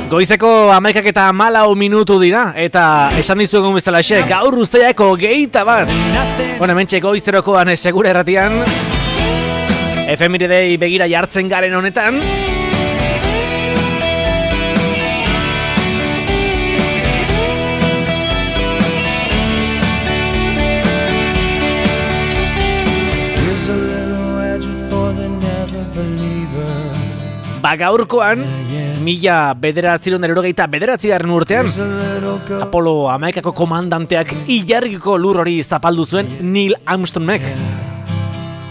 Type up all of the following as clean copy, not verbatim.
Goizeko 11:14 dira, eta esan dizuegun bezalaxe, gaur uztailak 21. Hementxe goizterokoan segura erratian, efemiridei begira jartzen garen honetan. Gaurkoan, 1989 urtean, Apollo 11ko komandanteak ilargiko lur hori zapaldu zuen Neil Armstrongek.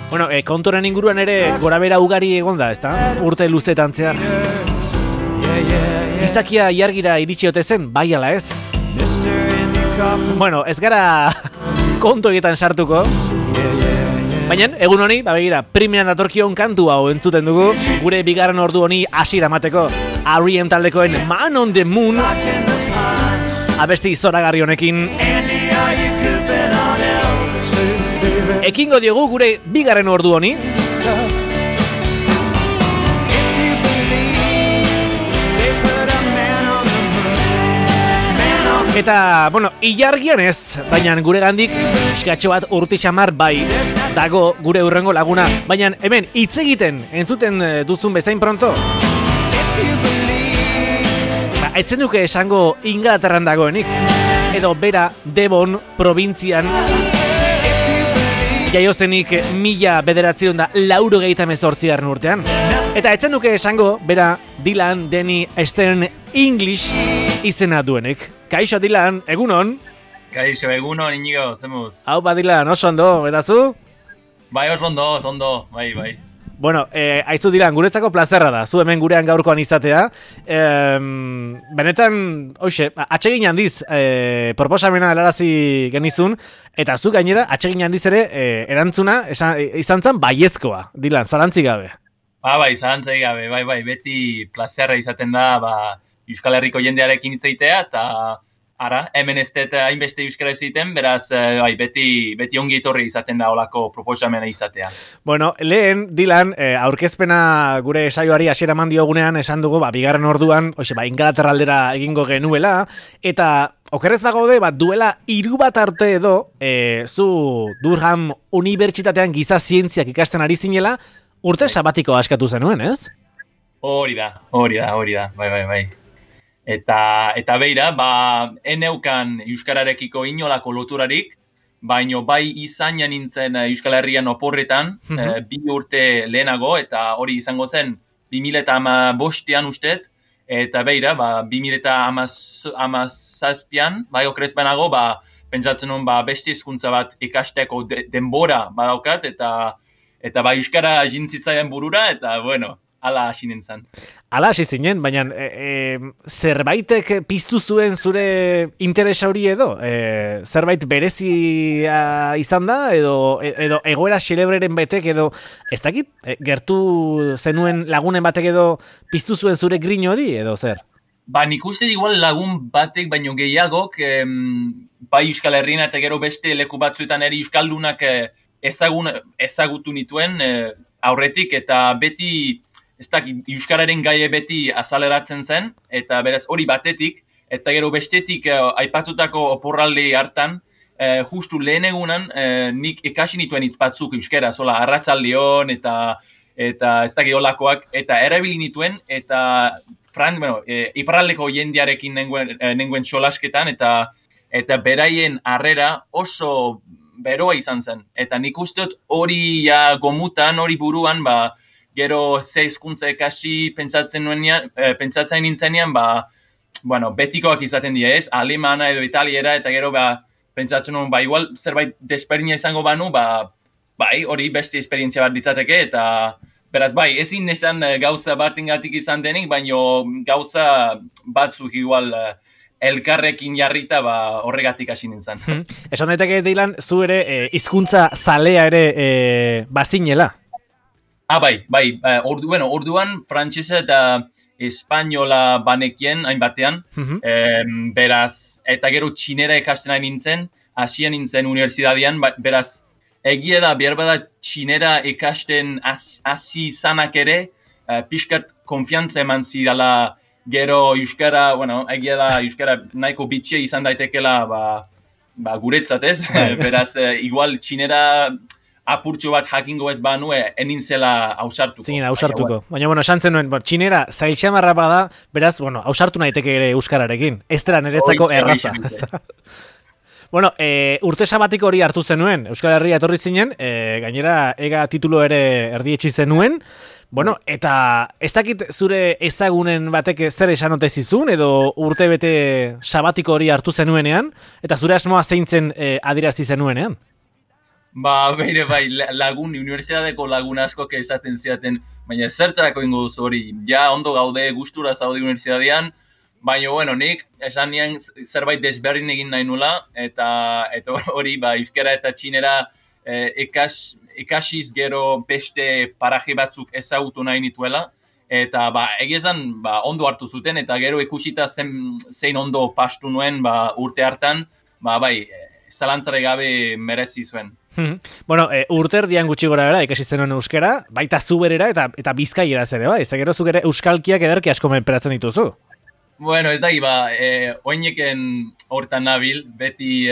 Bueno, konturen inguruan ere gorabera ugari egon da, ezta? Urte luzetan zehar. Izakia ilargira iritsi ote zen, bai ala ez? Bueno, ez gara kontu egiten sartuko. Baina, egun honi, begira, primeran datorkion kantu hau entzuten dugu, gure bigarren ordu honi hasiera emateko. R.E.M. taldekoen Man on the Moon, abesti zoragarri honekin. Ekingo diogu gure bigarren ordu honi. Eta, bueno, ilargian ez, baina gure gandik eskatxo bat urti xamar bai dago gure hurrengo laguna. Baina hemen hitz egiten entzuten duzun bezain pronto. Etzen duke esango Inglaterran dagoenik, edo bera Devon probintzian jaiozenik 1998 urtean. Eta etzen duke esango bera Dylan Denny Stern English izena duenik. Kaixo Dylan, egunon? Kaixo, egunon, Inigo, zemuz? Hau ba Dylan, oso ondo, eta zu? Bai, oso ondo, bai. Bueno, aizu Dylan, guretzako plazerra da, zu hemen gurean gaurkoan izatea. Benetan, hoxe, atsegin handiz proposamena helarazi genizun, eta zu gainera, atsegin handiz ere erantzuna izan zen baiezkoa, Dylan, zalantzik gabe. Bai, zalantzik gabe, bai, beti plazerra izaten da, Euskal Herriko jendearekin hitz egitea, eta hemen ez dut hainbeste euskara ez egiten, beraz, beti ongi etorri izaten da olako proposamena izatea. Bueno, lehen, Dylan, aurkezpena gure saioari hasiera eman diogunean esan dugu, bigarren orduan, Inglaterra aldera egingo genuela, eta okerrez bagaude, duela 3 bat arte edo, zu Durham Unibertsitatean giza zientziak ikasten ari zinela, urte sabatiko askatu zenuen, ez? Hori da, bai. Eta beira, eneukan euskararekiko inolako loturarik, baino bai izaina nintzen Euskal Herrian oporretan, 2 urte lehenago, eta hori izango zen 2015an ustet, eta beira, 2017an, bai okrez banago, pentsatzen hon beste hizkuntza bat ikasteko denbora badaukat, eta bai euskara jintzitzaian burura, eta bueno, ala hasi nintzen. Ala hasi zinen, baina zerbaitek piztu zuen zure interesa hori edo? Zerbait berezia izan da, edo egoera xelebreren betek edo, ez dakit, gertu zenuen lagunen batek edo piztu zuen zure grin hori edo zer? Nik uste igual lagun batek baino gehiagok, bai Euskal Herrian eta gero beste leku batzuetan ere euskaldunak ezagutu nituen aurretik, eta beti ez dakit, euskararen gaie beti azaleratzen zen, eta beraz hori batetik, eta gero bestetik aipatutako oporralde hartan, justu lehen egunan nik ikasi nituen hitz batzuk euskara, zola arratsaldeon eta ez dakit olakoak, eta erabili nituen, eta iparraldeko jendearekin nengoen solasketan, eta beraien harrera oso beroa izan zen. Eta nik usteot hori gomutan, hori buruan, gero ze hizkuntza ikasi pentsatzen nintzenean, betikoak izaten dira, ez? Alemana edo italiera, eta gero pentsatzen nuen, igual zerbait desberdina izango banu, hori beste esperientzia bat ditzateke, eta beraz, ezin esan gauza batengatik izan denik, baino gauza batzuk igual elkarrekin jarrita horregatik hasi nintzen. Esan daiteke, Dylan, zu ere hizkuntza zalea ere bazinela? Orduan frantsesa eta espainola banekien hainbatean, beraz, eta gero txinera ikasten ari nintzen, hasian nintzen unibertsitatean, beraz, egia da, behar bada txinera ikasten hasi izanak ere, pixkat konfiantza eman zidala gero euskara, bueno, egia da euskara nahiko bitxia izan daitekela, guretzat ez, beraz, igual txinera apurtxo bat jakingo ez banue, enin zela ausartuko. Zinen, ausartuko. Baina, bueno, esan zenuen, txinera zailtxamarra bada, beraz, bueno, ausartu naiteke ere euskararekin. Ez dela niretzako erraza. Bueno, urte sabatiko hori hartu zenuen, Euskal Herria etorri zinen, gainera ega titulo ere erdietxi zenuen, bueno, eta ez dakit zure ezagunen batek zer esan ote zizun, edo urte bete sabatiko hori hartu zenuenean, eta zure asmoa zeintzen adierazti zenuenean? Beire bai, unibertsitateko lagun askok esaten ziaten, baina zertarako ingo duzu hori, ja ondo gaude, gustura zaude unibertsitatean, baina, bueno, nik esan nian zerbait desberdin egin nahi nula, eta hori, euskara eta txinera ikasiz gero beste paraje batzuk ezagutu nahi nituela, eta egiezan ondo hartu zuten, eta gero ikusita zein ondo pastu nuen urte hartan, zalantzare gabe merezi zuen. Bueno, urte erdian gutxi gora bera, ikasi zenuen euskara, baita zuberera eta bizkaieraz ere, ez da gero zuk ere euskalkiak ederki asko menperatzen dituzu. Bueno, ez da, oineken hortan nabil, beti,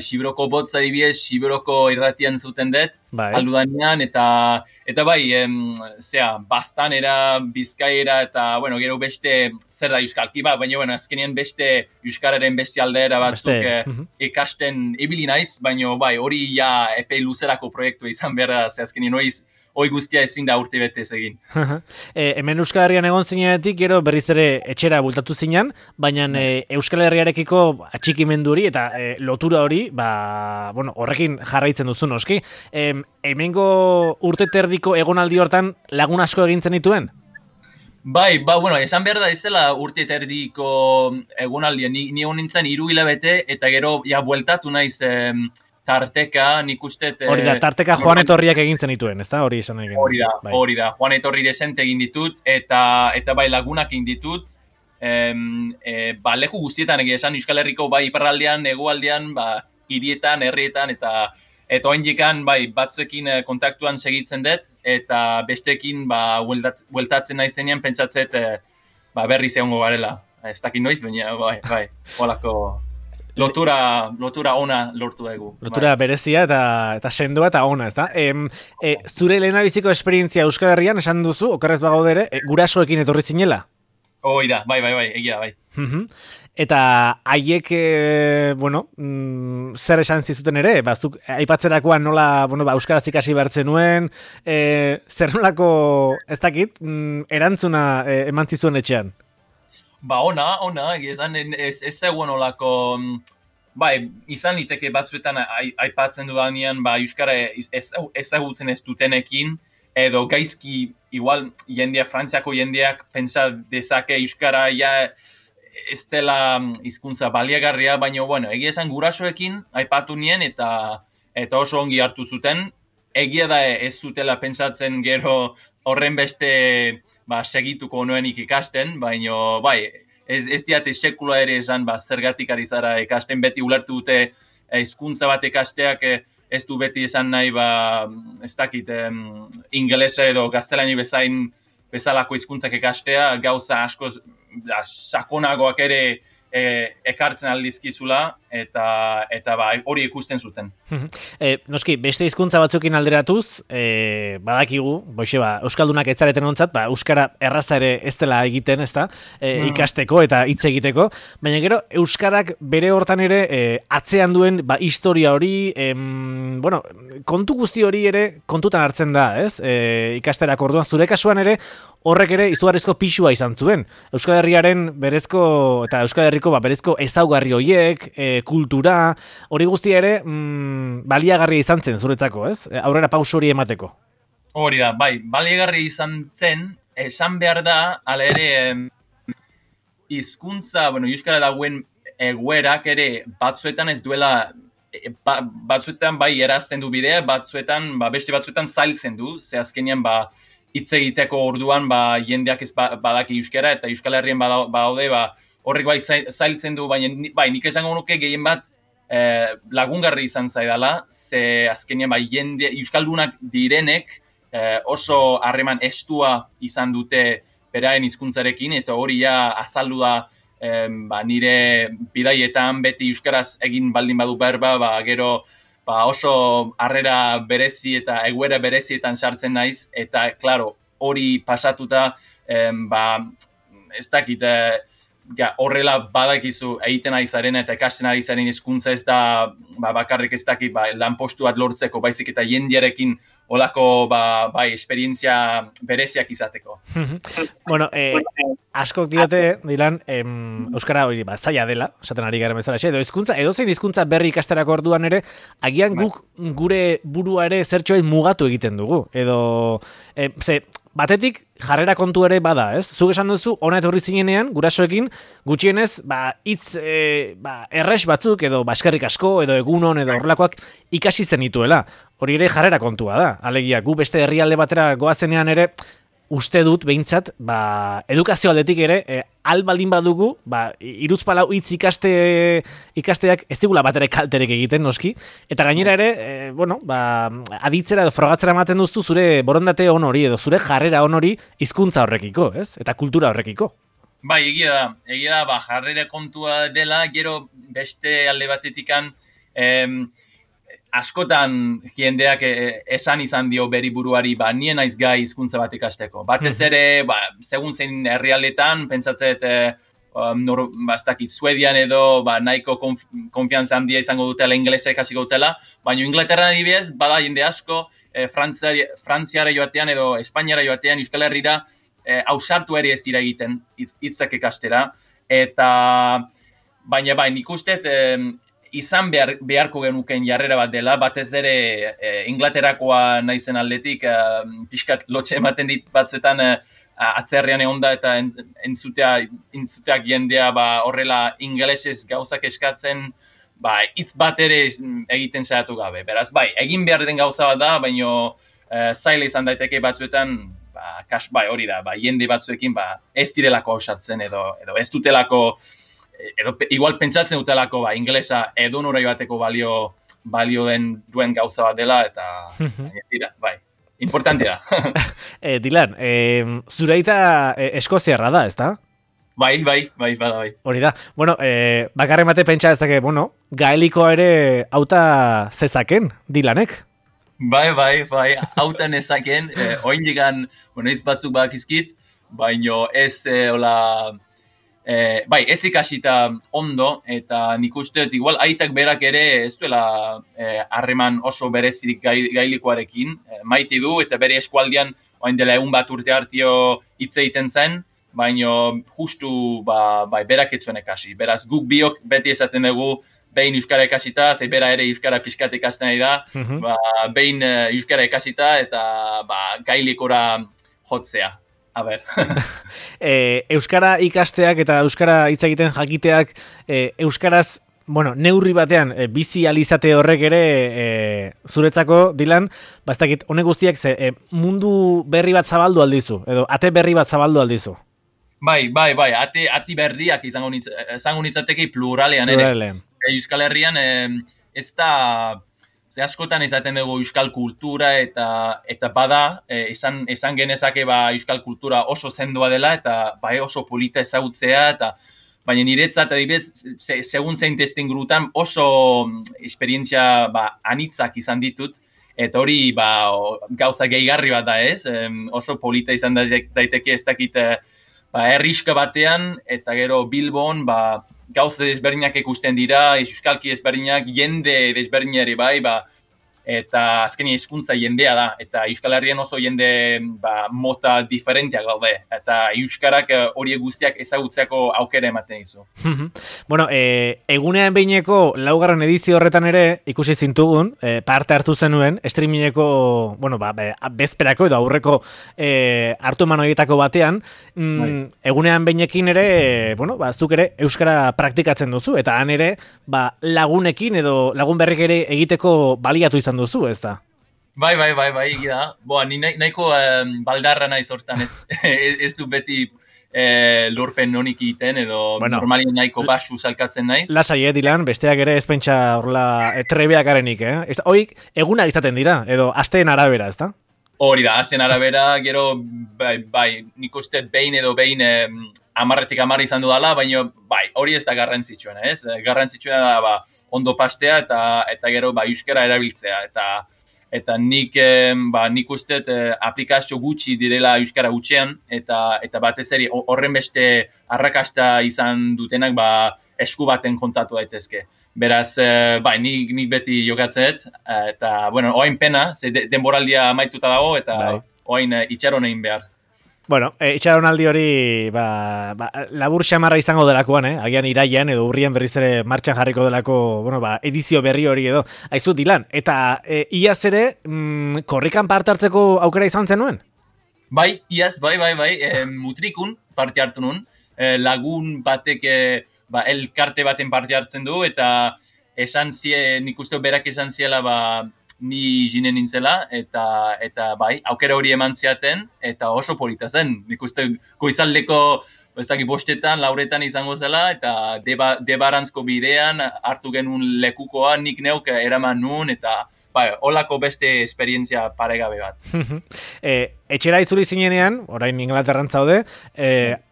Xibroko botza dibiez, Xibroko irratian zuten dut, aldudanean, eta bastanera, bizkaiera, eta, bueno, gero beste zer da euskalki, baina, azkenean beste euskararen beste aldera batzuk ikasten ibili naiz, baina, hori ja epe luzerako proiektu izan behar, azkenean hoi guztia ezin da urte betez egin. Hemen Euskal Herrian egon zinenetik, gero berriz ere etxera bultatu zinan, baina Euskal Herriarekiko atxikimendu hori eta lotura hori, horrekin jarraitzen duzu noski. Hemengo urte terdiko egonaldi hortan lagun asko egintzen dituen? Bueno, esan behar da ez dela urte terdiko egonaldia, ni egon nintzen 3 hilabete eta gero bueltatu naiz tarteka, nik uste... Hori da, tarteka Joan Etorriak egintzen dituen, ez da? Hori izan egin. Hori da, Joan Etorri desente egin ditut, eta lagunak egin ditut, leku guztietan esan Euskal Herriko iparraldean, hegoaldean, hirietan, herrietan, eta oindikan batzuekin kontaktuan segitzen dut, eta bestekin bueltatzen naizenean pentsatzet berriz egongo garela. Ez dakit noiz, baina holako... Lotura ona lortu dugu. Lotura berezia eta sendoa eta ona, ez da? Zure lehendabiziko esperientzia Euskal Herrian, esan duzu, okerrez bagaude ere, gurasoekin etorri zinela? Hoi da, egia da, Eta haiek, zer esan zizuten ere? Zuk aipatzerakoan nola, euskaraz ikasi behartzen nuen, zer nolako, ez dakit, erantzuna eman zizuen etxean? Ona, egizan ez zegoen olako, izan liteke batzuetan aipatzen dudanean, euskara ezagutzen ez dutenekin, edo gaizki, igual, Frantziako jendeak pentsa dezake euskara ez dela hizkuntza baliagarria, baina, egia esan gurasoekin aipatu nien eta oso ongi hartu zuten, egia da ez zutela pentsatzen gero horren beste segituko nuenik ikasten, baina ez diate sekula ere esan zergatik ari zara ikasten, beti ulertu dute hizkuntza bat ikasteak ez du beti esan nahi ez dakit ingelesa edo gaztelani bezalako hizkuntzak ikastea, gauza asko sakonagoak ere ekartzen aldizkizula eta hori ikusten zuten. Noski, beste hizkuntza batzukin alderatuz, badakigu, euskaldunak ez zareten ontzat, euskara erraza ere ez dela egiten, ez da, ikasteko eta hitz egiteko, baina gero, euskarak bere hortan ere atzean duen historia hori, kontu guzti hori ere kontutan hartzen da, ez? Ikasterako orduan, zure kasuan ere, horrek ere izugarrizko pixua izan zuen. Euskal Herriaren berezko, eta Euskal Herriko berezko ezaugarri horiek, kultura, hori guztia ere baliagarria izan zen zuretzako, ez? Aurrera pauso hori emateko. Hori da, baliagarria izan zen, esan behar da, ala ere, hizkuntza, Euskara dagoen egoerak ere batzuetan ez duela, batzuetan erazten du bidea, batzuetan, beste batzuetan zailtzen du, ze azkenean hitz egiteko orduan jendeak ez badaki euskara eta Euskal Herrien badaude horrek zailtzen du, baina nik esango nuke gehien bat lagungarri izan zaidala, ze azkenean jende euskaldunak direnek oso harreman estua izan dute beraen hizkuntzarekin, eta hori ja azaldu da nire bidaietan beti euskaraz egin baldin badu berba, gero oso harrera berezi eta egoera berezietan sartzen naiz, eta, klaro, hori pasatuta, ez dakit, horrela badakizu egiten ari zaren eta ikasten ari zaren hizkuntza ez da bakarrik ez dakit lanpostu bat lortzeko, baizik eta jendearekin olako esperientzia bereziak izateko. Bueno, askok diote, Dilan, euskara hori zaila dela, esaten ari garen bezala, edozein hizkuntza berri ikasterako orduan ere, agian guk gure burua ere zertxoen mugatu egiten dugu, edo, batetik jarrera kontu ere bada, ez? Zuk esan duzu, ona etorri zinenean, gurasoekin, gutxienez, hitz erres batzuk, edo eskerrik asko, edo egunon, edo horrelakoak ikasi zenituela. Hori ere jarrera kontua da. Alegia, gu beste herrialde batera goazenean ere, uste dut, behintzat, edukazio aldetik ere, baldin badugu, hiruzpalau hitz ikasteak ez digula batera kalterek egiten, noski, eta gainera ere, aditzera edo frogatzera ematen duzu zure borondate on hori, edo zure jarrera on hori hizkuntza horrekiko, ez? Eta kultura horrekiko. Bai, egia da, jarrera kontua dela, gero beste alde batetikan, askotan jendeak esan izan dio beri buruari, nien naiz gai hizkuntza bat ikasteko. Batez ere, segun zein herrialdetan, pentsatzet, ez dakit, Suedian edo, nahiko konfiantza handia izango dutela, inglesa ikasiko dutela, baina Inglaterra adibidez, bada jende asko, Frantziara joatean edo Espainiara joatean, Euskal Herrira, ausartu ere ez dira egiten hitzak ikastera, eta baina nik uste, izan beharko genuken jarrera bat dela, batez ere Inglaterakoa naizen aldetik, pixkat lotxe ematen dit batzuetan atzerrian egonda eta entzuteak jendea horrela ingelesez gauzak eskatzen, hitz bat ere egiten saiatu gabe. Beraz, egin behar den gauza bat da, baina zaila izan daiteke batzuetan, hori da, jende batzuekin ez direlako ausartzen edo ez dutelako, edo igual pentsatzen dutelako ingelesa edonora joateko balio duen gauza bat dela, eta importantea da. Dilan, zure aita eskoziarra da, ezta? Bai, bada. Hori da. Bueno, bakarren bate pentsa ezake, gaelikoa ere auta zezaken, Dilanek? Bai, auta nezaken, oindikan, hitz batzuk bakizkit, baino ez, ez ikasita ondo, eta nik uste, igual aitak berak ere ez duela harreman oso berezirik gailikoarekin, maite du, eta bere eskualdian oain dela egun bat urte hartio hitz egiten zen, baina justu berak etzuen ekasi. Beraz, guk biok beti esaten dugu, behin euskara ekasita, ze bera ere euskara pixkat ikasten nahi da, behin euskara ekasita, eta gailikora jotzea. A ber. Euskara ikasteak eta euskara hitz egiten jakiteak euskaraz, neurri batean bizi alizate horrek ere zuretzako, Dilan, ez honek guztiak mundu berri bat zabaldu aldizu, edo ate berri bat zabaldu aldizu. Bai, ati berriak izango nitzateke pluralean ere. Euskal Herrian ez da, askotan izaten dugu euskal kultura eta bada, esan genezake euskal kultura oso zendoa dela eta oso polita ezagutzea, baina niretzat adibidez, segun zein testengurutan oso esperientzia anitzak izan ditut, eta hori gauza gehigarri bat da ez, oso polita izan daiteke ez dakit herriska batean, eta gero Bilbon gauza desberdinak ikusten dira, euskalki desberdinak, jende desberdinari eta azkenia hizkuntza jendea da, eta Euskal Herrian oso jende mota diferenteak gaude, eta euskarak horiek guztiak ezagutzeako aukera ematen dizu. Egunean behineko laugarren edizio horretan ere ikusi zintugun, parte hartu zenuen, streamingeko, bezperako edo aurreko hartu eman horietako batean, egunean behinekin ere, zuk ere euskara praktikatzen duzu, eta han ere lagunekin edo lagun berrik ere egiteko baliatu izan duzu, ez da? Bai, egia da. Ni nahiko baldarra naiz hortan, ez du beti lorpen honik egiten, edo normalien nahiko basu salkatzen naiz. Lasai, Dilan, besteak ere ez pentsa horla trebeak garenik, Hoik, eguna izaten dira, edo asteen arabera, ez da? Hori da, asteen arabera, gero bai, nik uste behin edo behin 10 izan dudala, baina bai, hori ez da garrantzitsuena, ez? Garrantzitsuena da ondo pastea eta gero euskara erabiltzea eta nik uste aplikazio gutxi direla euskara gutxean eta batez ere horren beste arrakasta izan dutenak esku baten kontatu daitezke. Beraz, nik beti jokatzeet, eta, bueno, oain pena, ze denboraldia amaituta dago, eta oain itxaron egin behar. Bueno, itxaronaldi hori labur xamarra izango delakoan, agian iraian edo urrian berriz ere martxan jarriko delako, bueno, edizio berri hori edo. Aizu, Dilan, eta iaz ere korrikan parte hartzeko aukera izan zenuen? Bai, iaz, bai, mutrikun parte hartu nun, lagun batek elkarte baten parte hartzen du, eta nik uste berak esan ziela ni jinen nintzela, eta bai, aukera hori eman ziaten, eta oso polita zen. Nik uste goizaldeko, bostetan, lauretan izango zela, eta debarantzko bidean hartu genuen lekukoa, nik neuk eraman nun, eta holako beste esperientzia paregabe bat. Etxera itzuli zinenean, orain Inglaterran zaude,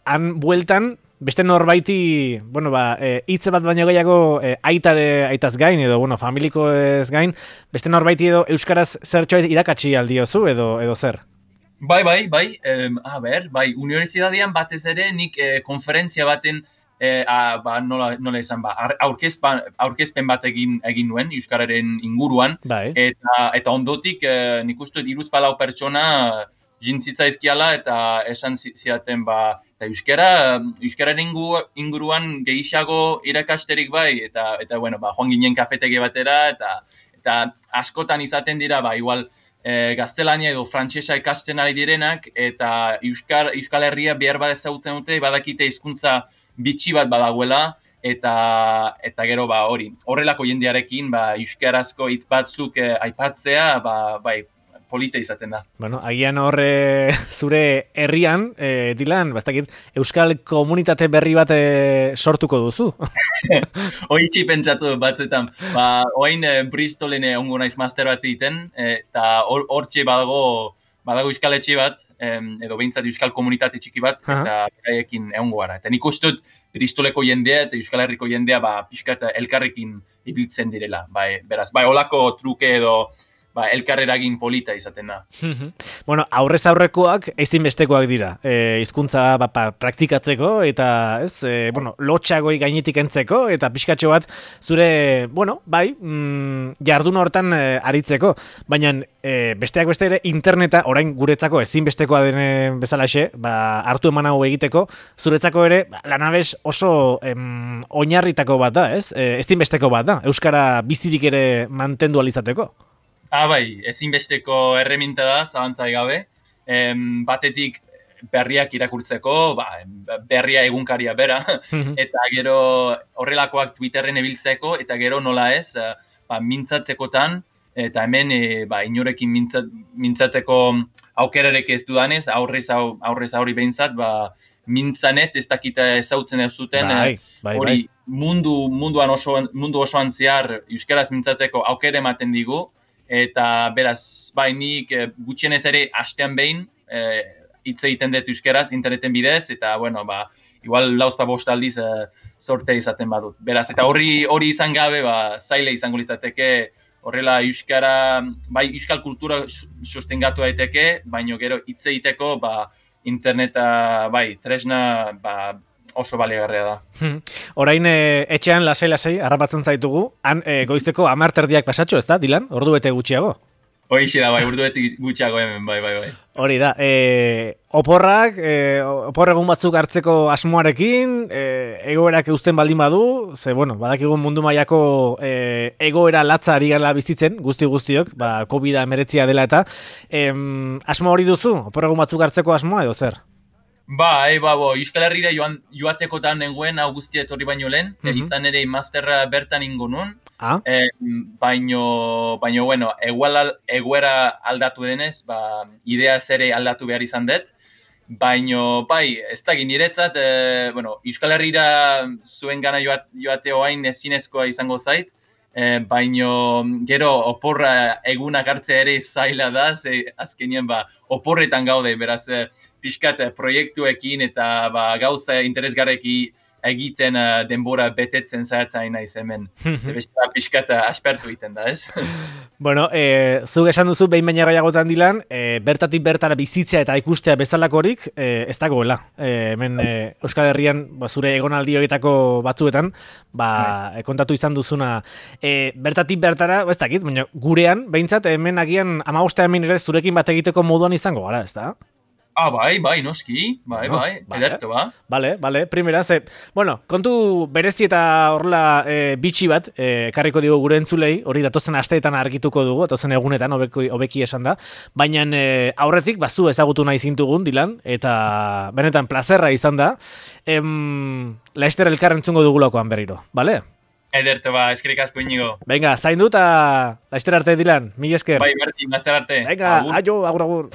han bueltan, beste norbaiti, bueno, hitze bat baino gehiago aitaz gain, edo, bueno, familiko ez gain, beste norbaiti edo euskaraz zertxoet irakatsi aldiozu, edo zer? Bai, universitatean batez ere nik konferentzia baten, nola izan, aurkezpen bat egin nuen euskararen inguruan, eta ondotik nik uste 3-4 pertsona jintzitzaizkiala eta esan ziaten eta euskararen inguruan gehiago irakasterik eta bueno, joan ginen kafetegi batera eta askotan izaten dira, igual gaztelania edo frantsesa ikasten ari direnak eta Euskal Herria behar bat ezagutzen dute, badakite hizkuntza bitxi bat badagoela eta gero horrelako jendearekin euskarazko hitz batzuk aipatzea, polita izaten da. Bueno, agian horre zure herrian, Dilan, bastakit, euskal komunitate berri bat sortuko duzu. Hoitzi pentsatu batzuetan. Oain Bristolen ongo naiz master bat egiten, eta hortxe badago euskal etxe bat, edo behintzat euskal komunitate txiki bat, eta beraiekin egongo gara. Eta nik uste dut Bristoleko jendea eta Euskal Herriko jendea pixkat elkarrekin ibiltzen direla. Beraz, holako truke edo elkarreragin polita izaten da. Bueno, aurrez aurrekoak ezinbestekoak dira. Hizkuntza praktikatzeko eta lotxagoi gainetik entzeko eta pixkatxo bat zure, jardun hortan aritzeko. Baina besteak beste ere interneta orain guretzako ezinbestekoa den bezalaxe, hartu eman hau egiteko, zuretzako ere lanabes oso oinarritako bat da, ez? Ezinbesteko bat da, euskara bizirik ere mantendu alizateko. Ezinbesteko erreminta da, zabantzai gabe. Batetik berriak irakurtzeko, berria egunkaria bera, eta gero horrelakoak Twitterren ebiltzeko, eta gero nola ez, mintzatzekotan, eta hemen inorekin mintzatzeko aukerarek ez dudanez, aurrez aurri behintzat, mintzanet ez dakita ezautzen ez zuten, hori mundu osoan zehar euskaraz mintzatzeko aukere ematen digu, eta beraz, nik gutxienez ere astean behin hitz egiten dut euskaraz interneten bidez, eta, igual 4-5 aldiz sorte izaten badut. Beraz, eta hori izan gabe, zaile izango litzateke, horrela euskara, euskal kultura sostengatu daiteke, baino gero hitz egiteko, interneta, tresna, oso baliagarria da. Orain etxean lasai harrapatzen zaitugu, han goizteko 10 pasatxo, ez da, Dilan? Ordu bete gutxiago? Hoixe da, ordu bete gutxiago hemen, bai. Hori da, oporregun batzuk hartzeko asmoarekin, egoerak eusten baldin badu, ze, badakigun mundu mailako egoera latza ari gala bizitzen, guztiok, COVID-19 dela eta, asmo hori duzu? Oporregun batzuk hartzeko asmoa edo zer? Euskal Herrira joatekotan nengoen hau guztia etorri baino lehen, izan ere masterra bertan ingo nun, baino, egoera aldatu denez, idea zere aldatu behar izan dut, baino, ez da niretzat, Euskal Herrira zuen gana joate oain ezinezkoa izango zait, baino gero oporra egunak hartzea ere zaila da, ze azkenien oporretan gaude, beraz pixkat proiektuekin eta gauza interesgarreki egiten denbora betetzen zahatzain naiz hemen. Beste pixkat aspertu egiten da, ez? Bueno, zuk esan duzu behin baina gehiagotan Dilan, bertatik bertara bizitzea eta ikustea bezalakorik ez dagoela. Hemen Euskal Herrian zure egonaldi horietako batzuetan, kontatu izan duzuna bertatik bertara, ez dakit, baina gurean, behintzat hemen agian 15 hemen ere zurekin bat egiteko moduan izango gara, ez da? Bai, noski, edertu, Bale, primera, bueno, kontu berezi eta horrela bitxi bat, karriko digu gure entzulei, hori datozen asteetan argituko dugu, datozen egunetan, hobeki esan da, baina aurretik, zu ezagutu nahi zintugun, Dilan, eta benetan plazerra izan da, Laster elkar entzungo dugulakoan berriro, bale? Edertu, eskerrik asko Inigo. Venga, zaindu eta Laster arte, Dilan, mila esker. Bai, Martin, Laster arte. Venga, aio, agur.